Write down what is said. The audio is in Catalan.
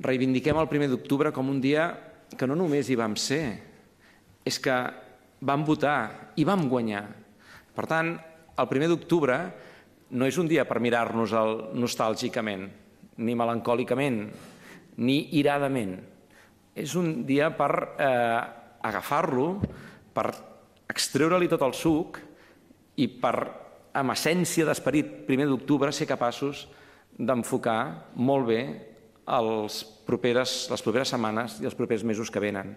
reivindiquem el 1 d'octubre com un dia que no només hi vam ser, és que vam votar i vam guanyar. Per tant, el 1 d'octubre no és un dia per mirar-nos-el nostàlgicament, ni melancòlicament, ni iradament. És un dia per agafar-lo, per extreure-li tot el suc i per, amb essència d'esperit 1 d'octubre, ser capaços d'enfocar molt bé les properes setmanes i els propers mesos que venen.